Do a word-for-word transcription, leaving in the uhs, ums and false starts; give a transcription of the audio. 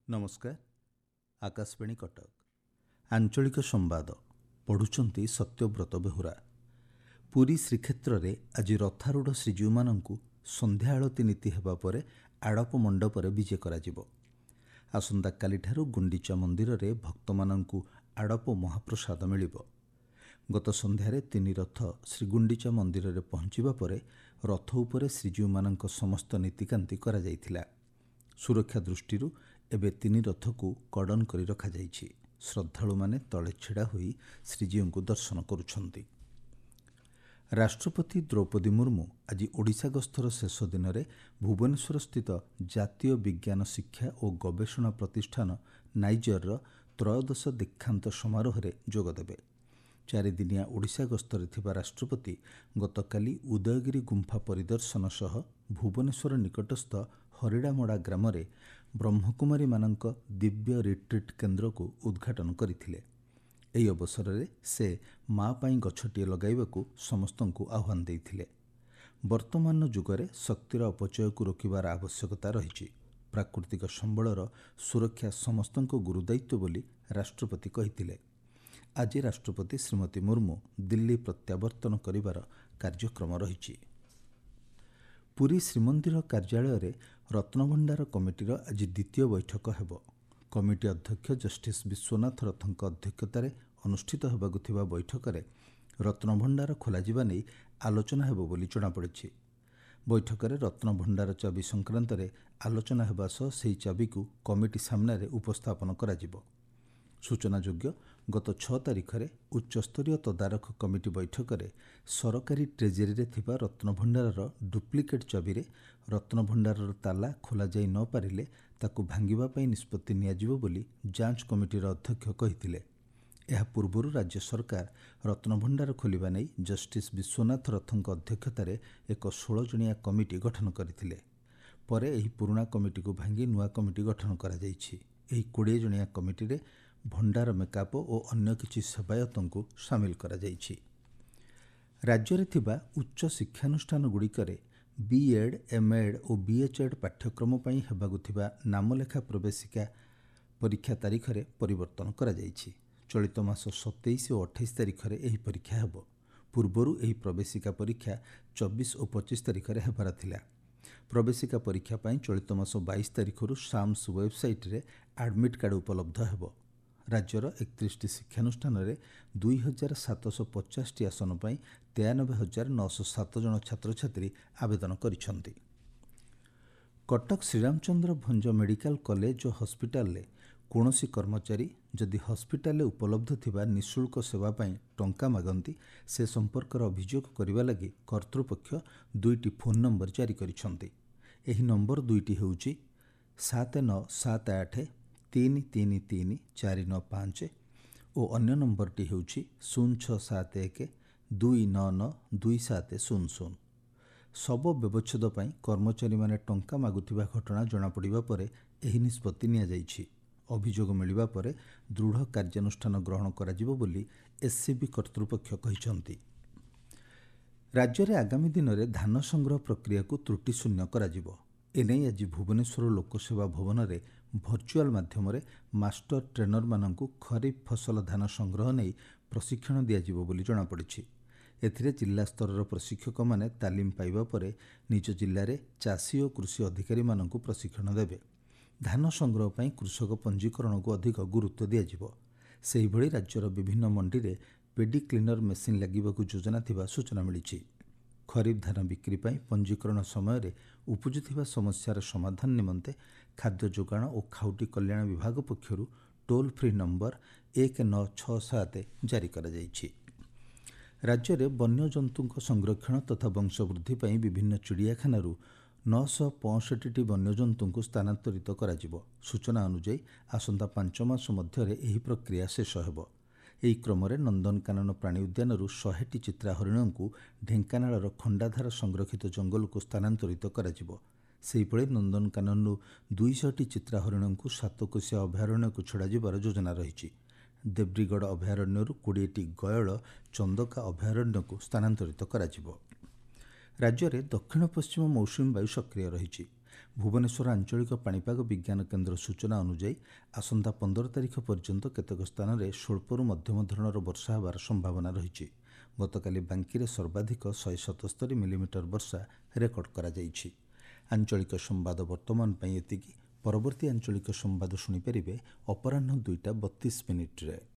ନମସ୍କାର, ଆକାଶବାଣୀ କଟକ, ଆଞ୍ଚଳିକ ସମ୍ବାଦ ପଢ଼ୁଛନ୍ତି ସତ୍ୟବ୍ରତ ବେହୁରା। ପୁରୀ ଶ୍ରୀକ୍ଷେତ୍ରରେ ଆଜି ରଥାରୂଢ଼ ଶ୍ରୀଜୀଉମାନଙ୍କୁ ସନ୍ଧ୍ୟା ଆଳତୀ ନୀତି ହେବା ପରେ ଆଡ଼ପ ମଣ୍ଡପରେ ବିଜେ କରାଯିବ। ଆସନ୍ତାକାଲିଠାରୁ ଗୁଣ୍ଡିଚା ମନ୍ଦିରରେ ଭକ୍ତମାନଙ୍କୁ ଆଡ଼ପ ମହାପ୍ରସାଦ ମିଳିବ। ଗତ ସନ୍ଧ୍ୟାରେ ତିନି ରଥ ଶ୍ରୀଗୁଣ୍ଡିଚା ମନ୍ଦିରରେ ପହଞ୍ଚିବା ପରେ ରଥ ଉପରେ ଶ୍ରୀଜୀଉମାନଙ୍କ ସମସ୍ତ ନୀତିକାନ୍ତି କରାଯାଇଥିଲା। ସୁରକ୍ଷା ଦୃଷ୍ଟିରୁ ଏବେ ତିନି ରଥକୁ କର୍ଡନ କରି ରଖାଯାଇଛି। ଶ୍ରଦ୍ଧାଳୁମାନେ ତଳେ ଛିଡ଼ା ହୋଇ ଶ୍ରୀଜୀଉଙ୍କୁ ଦର୍ଶନ କରୁଛନ୍ତି। ରାଷ୍ଟ୍ରପତି ଦ୍ରୌପଦୀ ମୁର୍ମୁ ଆଜି ଓଡ଼ିଶା ଗସ୍ତର ଶେଷ ଦିନରେ ଭୁବନେଶ୍ୱରସ୍ଥିତ ଜାତୀୟ ବିଜ୍ଞାନ ଶିକ୍ଷା ଓ ଗବେଷଣା ପ୍ରତିଷ୍ଠାନ ନାଇଜର୍ର ତ୍ରୟୋଦଶ ଦୀକ୍ଷାନ୍ତ ସମାରୋହରେ ଯୋଗଦେବେ। ଚାରିଦିନିଆ ଓଡ଼ିଶା ଗସ୍ତରେ ଥିବା ରାଷ୍ଟ୍ରପତି ଗତକାଲି ଉଦୟଗିରି ଗୁମ୍ଫା ପରିଦର୍ଶନ ସହ ଭୁବନେଶ୍ୱର ନିକଟସ୍ଥ ହରିଡ଼ାମଡ଼ା ଗ୍ରାମରେ ବ୍ରହ୍ମକୁମାରୀମାନଙ୍କ ଦିବ୍ୟ ରିଟ୍ରିଟ୍ କେନ୍ଦ୍ରକୁ ଉଦ୍ଘାଟନ କରିଥିଲେ। ଏହି ଅବସରରେ ସେ ମା ପାଇଁ ଗଛଟିଏ ଲଗାଇବାକୁ ସମସ୍ତଙ୍କୁ ଆହ୍ୱାନ ଦେଇଥିଲେ। ବର୍ତ୍ତମାନର ଯୁଗରେ ଶକ୍ତିର ଅପଚୟକୁ ରୋକିବାର ଆବଶ୍ୟକତା ରହିଛି। ପ୍ରାକୃତିକ ସମ୍ବଳର ସୁରକ୍ଷା ସମସ୍ତଙ୍କ ଗୁରୁଦାୟିତ୍ୱ ବୋଲି ରାଷ୍ଟ୍ରପତି କହିଥିଲେ। ଆଜି ରାଷ୍ଟ୍ରପତି ଶ୍ରୀମତୀ ମୁର୍ମୁ ଦିଲ୍ଲୀ ପ୍ରତ୍ୟାବର୍ତ୍ତନ କରିବାର କାର୍ଯ୍ୟକ୍ରମ ରହିଛି। ପୁରୀ ଶ୍ରୀମନ୍ଦିର କାର୍ଯ୍ୟାଳୟରେ ରତ୍ନଭଣ୍ଡାର କମିଟିର ଆଜି ଦ୍ୱିତୀୟ ବୈଠକ ହେବ। କମିଟି ଅଧ୍ୟକ୍ଷ ଜଷ୍ଟିସ୍ ବିଶ୍ୱନାଥ ରଥଙ୍କ ଅଧ୍ୟକ୍ଷତାରେ ଅନୁଷ୍ଠିତ ହେବାକୁ ଥିବା ବୈଠକରେ ରତ୍ନଭଣ୍ଡାର ଖୋଲାଯିବା ନେଇ ଆଲୋଚନା ହେବ ବୋଲି ଜଣାପଡ଼ିଛି। ବୈଠକରେ ରତ୍ନଭଣ୍ଡାର ଚାବି ସଂକ୍ରାନ୍ତରେ ଆଲୋଚନା ହେବା ସହ ସେହି ଚାବିକୁ କମିଟି ସାମ୍ନାରେ ଉପସ୍ଥାପନ କରାଯିବ। ସୂଚନାଯୋଗ୍ୟ, ଗତ ଛଅ ତାରିଖରେ ଉଚ୍ଚସ୍ତରୀୟ ତଦାରଖ କମିଟି ବୈଠକରେ ସରକାରୀ ଟ୍ରେଜେରୀରେ ଥିବା ରତ୍ନଭଣ୍ଡାରର ଡୁପ୍ଲିକେଟ୍ ଚାବିରେ ରତ୍ନଭଣ୍ଡାରର ତାଲା ଖୋଲାଯାଇ ନ ପାରିଲେ ତାକୁ ଭାଙ୍ଗିବା ପାଇଁ ନିଷ୍ପତ୍ତି ନିଆଯିବ ବୋଲି ଯାଞ୍ଚ କମିଟିର ଅଧ୍ୟକ୍ଷ କହିଥିଲେ। ଏହା ପୂର୍ବରୁ ରାଜ୍ୟ ସରକାର ରତ୍ନଭଣ୍ଡାର ଖୋଲିବା ନେଇ ଜଷ୍ଟିସ୍ ବିଶ୍ୱନାଥ ରଥଙ୍କ ଅଧ୍ୟକ୍ଷତାରେ ଏକ ଷୋହଳ ଜଣିଆ କମିଟି ଗଠନ କରିଥିଲେ। ପରେ ଏହି ପୁରୁଣା କମିଟିକୁ ଭାଙ୍ଗି ନୂଆ କମିଟି ଗଠନ କରାଯାଇଛି। ଏହି କୋଡ଼ିଏ ଜଣିଆ କମିଟିରେ ଭଣ୍ଡାର ମେକାପ ଓ ଅନ୍ୟ କିଛି ସେବାୟତଙ୍କୁ ସାମିଲ କରାଯାଇଛି। ରାଜ୍ୟରେ ଥିବା ଉଚ୍ଚ ଶିକ୍ଷାନୁଷ୍ଠାନଗୁଡ଼ିକରେ ବିଏଡ୍, ଏମ୍ଏଡ୍ ଓ ବିଏଚ୍ଏଡ୍ ପାଠ୍ୟକ୍ରମ ପାଇଁ ହେବାକୁ ଥିବା ନାମଲେଖା ପ୍ରବେଶିକା ପରୀକ୍ଷା ତାରିଖରେ ପରିବର୍ତ୍ତନ କରାଯାଇଛି। ଚଳିତ ମାସ ସତେଇଶ ଓ ଅଠେଇଶ ତାରିଖରେ ଏହି ପରୀକ୍ଷା ହେବ। ପୂର୍ବରୁ ଏହି ପ୍ରବେଶିକା ପରୀକ୍ଷା ଚବିଶ ଓ ପଚିଶ ତାରିଖରେ ହେବାର ଥିଲା। ପ୍ରବେଶିକା ପରୀକ୍ଷା ପାଇଁ ଚଳିତ ମାସ ବାଇଶ ତାରିଖରୁ ସାମ୍ସ ୱେବ୍ସାଇଟ୍ରେ ଆଡମିଟ୍ କାର୍ଡ଼ ଉପଲବ୍ଧ ହେବ। ରାଜ୍ୟର ଏକତିରିଶଟି ଶିକ୍ଷାନୁଷ୍ଠାନରେ ଦୁଇ ହଜାର ସାତଶହ ପଚାଶଟି ଆସନ ପାଇଁ ତେୟାନବେ ହଜାର ନଅଶହ ସାତ ଜଣ ଛାତ୍ରଛାତ୍ରୀ ଆବେଦନ କରିଛନ୍ତି। କଟକ ଶ୍ରୀରାମଚନ୍ଦ୍ର ଭଞ୍ଜ ମେଡିକାଲ କଲେଜ ଓ ହସ୍ପିଟାଲରେ କୌଣସି କର୍ମଚାରୀ ଯଦି ହସ୍ପିଟାଲରେ ଉପଲବ୍ଧ ଥିବା ନିଃଶୁଳ୍କ ସେବା ପାଇଁ ଟଙ୍କା ମାଗନ୍ତି, ସେ ସମ୍ପର୍କରେ ଅଭିଯୋଗ କରିବା ଲାଗି କର୍ତ୍ତୃପକ୍ଷ ଦୁଇଟି ଫୋନ୍ ନମ୍ବର ଜାରି କରିଛନ୍ତି। ଏହି ନମ୍ବର ଦୁଇଟି ହେଉଛି ସାତ ନଅ ସାତ ଆଠ ତିନି ତିନି ତିନି ଚାରି ନଅ ପାଞ୍ଚ ଓ ଅନ୍ୟ ନମ୍ବରଟି ହେଉଛି ଶୂନ ଛଅ ସାତ ଏକ ଦୁଇ ନଅ ନଅ ଦୁଇ ସାତ ଶୂନ ଶୂନ। ଶବ ବ୍ୟବଚ୍ଛେଦ ପାଇଁ କର୍ମଚାରୀମାନେ ଟଙ୍କା ମାଗୁଥିବା ଘଟଣା ଜଣାପଡ଼ିବା ପରେ ଏହି ନିଷ୍ପତ୍ତି ନିଆଯାଇଛି। ଅଭିଯୋଗ ମିଳିବା ପରେ ଦୃଢ଼ କାର୍ଯ୍ୟାନୁଷ୍ଠାନ ଗ୍ରହଣ କରାଯିବ ବୋଲି ଏସ୍ସିବି କର୍ତ୍ତୃପକ୍ଷ କହିଛନ୍ତି। ରାଜ୍ୟରେ ଆଗାମୀ ଦିନରେ ଧାନ ସଂଗ୍ରହ ପ୍ରକ୍ରିୟାକୁ ତ୍ରୁଟିଶୂନ୍ୟ କରାଯିବ। ଏନେଇ ଆଜି ଭୁବନେଶ୍ୱର ଲୋକସେବା ଭବନରେ ଭର୍ଚୁଆଲ୍ ମାଧ୍ୟମରେ ମାଷ୍ଟର ଟ୍ରେନରମାନଙ୍କୁ ଖରିଫ ଫସଲ ଧାନ ସଂଗ୍ରହ ନେଇ ପ୍ରଶିକ୍ଷଣ ଦିଆଯିବ ବୋଲି ଜଣାପଡ଼ିଛି। ଏଥିରେ ଜିଲ୍ଲାସ୍ତରର ପ୍ରଶିକ୍ଷକମାନେ ତାଲିମ ପାଇବା ପରେ ନିଜ ଜିଲ୍ଲାରେ ଚାଷୀ ଓ କୃଷି ଅଧିକାରୀମାନଙ୍କୁ ପ୍ରଶିକ୍ଷଣ ଦେବେ। ଧାନ ସଂଗ୍ରହ ପାଇଁ କୃଷକ ପଞ୍ଜୀକରଣକୁ ଅଧିକ ଗୁରୁତ୍ୱ ଦିଆଯିବ। ସେହିଭଳି ରାଜ୍ୟର ବିଭିନ୍ନ ମଣ୍ଡିରେ ପେଡି କ୍ଲିନର ମେସିନ୍ ଲାଗିବାକୁ ଯୋଜନା ଥିବା ସୂଚନା ମିଳିଛି। ଖରିଫ ଧାନ ବିକ୍ରି ପାଇଁ ପଞ୍ଜୀକରଣ ସମୟରେ ଉପୁଜୁଥିବା ସମସ୍ୟାର ସମାଧାନ ନିମନ୍ତେ ଖାଦ୍ୟ ଯୋଗାଣ ଓ ଖାଉଟି କଲ୍ୟାଣ ବିଭାଗ ପକ୍ଷରୁ ଟୋଲ୍ ଫ୍ରି ନମ୍ବର ଏକ ନଅ ଛଅ ସାତ ଜାରି କରାଯାଇଛି। ରାଜ୍ୟରେ ବନ୍ୟଜନ୍ତୁଙ୍କ ସଂରକ୍ଷଣ ତଥା ବଂଶବୃଦ୍ଧି ପାଇଁ ବିଭିନ୍ନ ଚିଡ଼ିଆଖାନାରୁ ନଅଶହ ପଞ୍ଚଷଠିଟି ବନ୍ୟଜନ୍ତୁଙ୍କୁ ସ୍ଥାନାନ୍ତରିତ କରାଯିବ। ସୂଚନା ଅନୁଯାୟୀ ଆସନ୍ତା ପାଞ୍ଚ ମାସ ମଧ୍ୟରେ ଏହି ପ୍ରକ୍ରିୟା ଶେଷ ହେବ। ଏହି କ୍ରମରେ ନନ୍ଦନକାନନ ପ୍ରାଣୀ ଉଦ୍ୟାନରୁ ଶହେଟି ଚିତ୍ରା ହରିଣଙ୍କୁ ଢେଙ୍କାନାଳର ଖଣ୍ଡାଧାର ସଂରକ୍ଷିତ ଜଙ୍ଗଲକୁ ସ୍ଥାନାନ୍ତରିତ କରାଯିବ। ସେହିଭଳି ନନ୍ଦନକାନନରୁ ଦୁଇଶହଟି ଚିତ୍ରା ହରିଣଙ୍କୁ ସାତକୋଶିଆ ଅଭୟାରଣ୍ୟକୁ ଛଡ଼ାଯିବାର ଯୋଜନା ରହିଛି। ଦେବ୍ରିଗଡ଼ ଅଭୟାରଣ୍ୟରୁ କୋଡ଼ିଏଟି ଗୟଳ ଚନ୍ଦକା ଅଭୟାରଣ୍ୟକୁ ସ୍ଥାନାନ୍ତରିତ କରାଯିବ। ରାଜ୍ୟରେ ଦକ୍ଷିଣ ପଶ୍ଚିମ ମୌସୁମୀ ବାୟୁ ସକ୍ରିୟ ରହିଛି। ଭୁବନେଶ୍ୱର ଆଞ୍ଚଳିକ ପାଣିପାଗ ବିଜ୍ଞାନ କେନ୍ଦ୍ର ସୂଚନା ଅନୁଯାୟୀ ଆସନ୍ତା ପନ୍ଦର ତାରିଖ ପର୍ଯ୍ୟନ୍ତ କେତେକ ସ୍ଥାନରେ ସ୍ୱଳ୍ପରୁ ମଧ୍ୟମ ଧରଣର ବର୍ଷା ହେବାର ସମ୍ଭାବନା ରହିଛି। ଗତକାଲି ବାଙ୍କିରେ ସର୍ବାଧିକ ଶହେ ସତସ୍ତରୀ ମିଲିମିଟର ବର୍ଷା ରେକର୍ଡ କରାଯାଇଛି। ଆଞ୍ଚଳିକ ସମ୍ବାଦ ବର୍ତ୍ତମାନ ପାଇଁ ଏତିକି। ପରବର୍ତ୍ତୀ ଆଞ୍ଚଳିକ ସମ୍ବାଦ ଶୁଣିପାରିବେ ଅପରାହ୍ନ ଦୁଇଟା ବତିଶ ମିନିଟ୍ରେ।